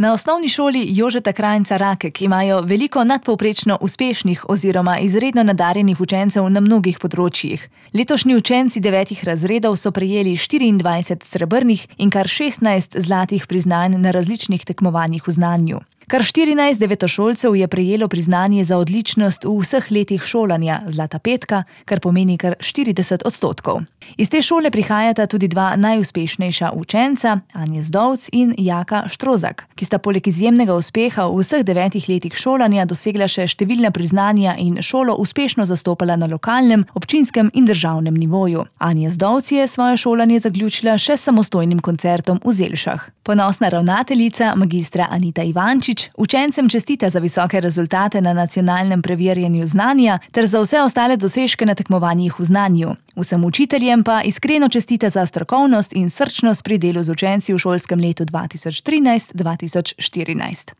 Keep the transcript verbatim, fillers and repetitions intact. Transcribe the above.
Na osnovni šoli Jožeta Krajnca Rakek imajo veliko nadpovprečno uspešnih oziroma izredno nadarjenih učencev na mnogih področjih. Letošnji učenci devetih razredov so prejeli štiriindvajset srebrnih in kar šestnajst zlatih priznanj na različnih tekmovanjih v znanju. Kar štirinajst devetošolcev je prejelo priznanje za odličnost v vseh letih šolanja, zlata petka, kar pomeni kar štirideset odstotkov. Iz te šole prihajata tudi dva najuspešnejša učenca, Anja Zdovc in Jaka Štrozak, ki sta poleg izjemnega uspeha v vseh devetih letih šolanja dosegla še številna priznanja in šolo uspešno zastopala na lokalnem, občinskem in državnem nivoju. Anja Zdovc je svoje šolanje zaključila še s samostojnim koncertom v Zelšah. Ponosna ravnateljica, magistra Anita Ivančič, učencem čestita za visoke rezultate na nacionalnem preverjanju znanja ter za vse ostale dosežke na tekmovanjih v znanju. Vsem učiteljem pa iskreno čestita za strokovnost in srčnost pri delu z učenci v šolskem letu dva tisoč trinajst dva tisoč štirinajst.